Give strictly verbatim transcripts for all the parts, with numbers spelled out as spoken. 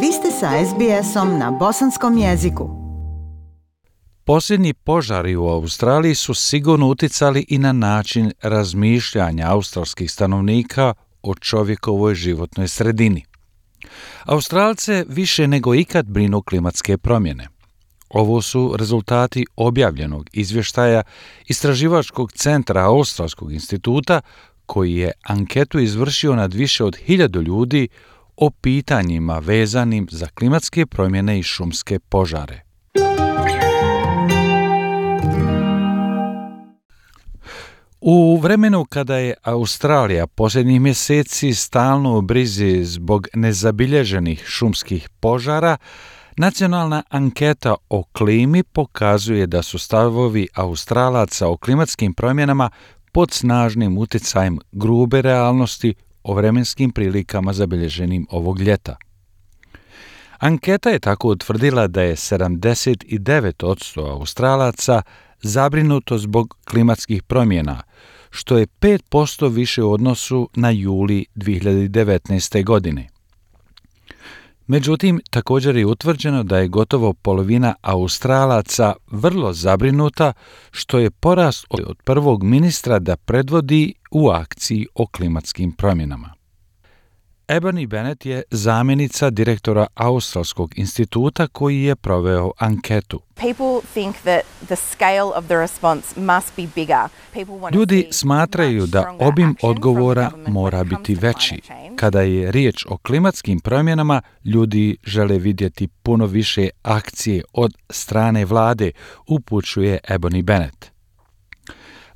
Vi ste sa es be esom na bosanskom jeziku. Posljednji požari u Australiji su sigurno uticali i na način razmišljanja australskih stanovnika o čovjekovoj životnoj sredini. Australce više nego ikad brinu klimatske promjene. Ovo su rezultati objavljenog izvještaja Istraživačkog centra Australskog instituta koji je anketu izvršio nad više od hiljadu ljudi o pitanjima vezanim za klimatske promjene i šumske požare. U vremenu kada je Australija posljednjih mjeseci stalno u brizi zbog nezabilježenih šumskih požara, nacionalna anketa o klimi pokazuje da su stavovi Australaca o klimatskim promjenama pod snažnim utjecajem grube realnosti o vremenskim prilikama zabilježenim ovog ljeta. Anketa je tako utvrdila da je sedamdeset devet posto Australaca zabrinuto zbog klimatskih promjena, što je pet posto više u odnosu na juli dvije hiljade devetnaeste. godine. Međutim, također je utvrđeno da je gotovo polovina Australaca vrlo zabrinuta, što je porast od prvog ministra da predvodi u akciji o klimatskim promjenama. Ebony Bennett je zamjenica direktora Australskog instituta koji je proveo anketu. Ljudi smatraju da obim odgovora mora biti veći. Kada je riječ o klimatskim promjenama, ljudi žele vidjeti puno više akcije od strane vlade, upućuje Ebony Bennett.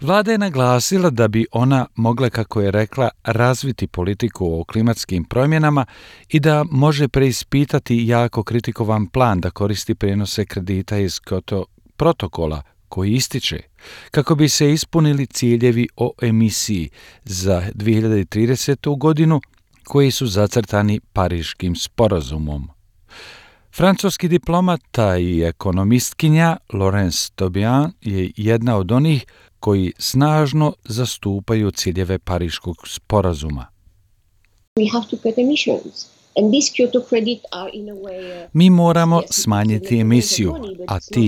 Vlada je naglasila da bi ona mogla, kako je rekla, razviti politiku o klimatskim promjenama i da može preispitati jako kritikovan plan da koristi prijenose kredita iz Kyoto protokola koji ističe, kako bi se ispunili ciljevi o emisiji za dvije hiljade tridesetu. godinu koji su zacrtani Pariškim sporazumom. Francuski diplomata i ekonomistkinja Laurence Tobian je jedna od onih koji snažno zastupaju ciljeve Pariškog sporazuma. Mi moramo smanjiti emisiju, a ti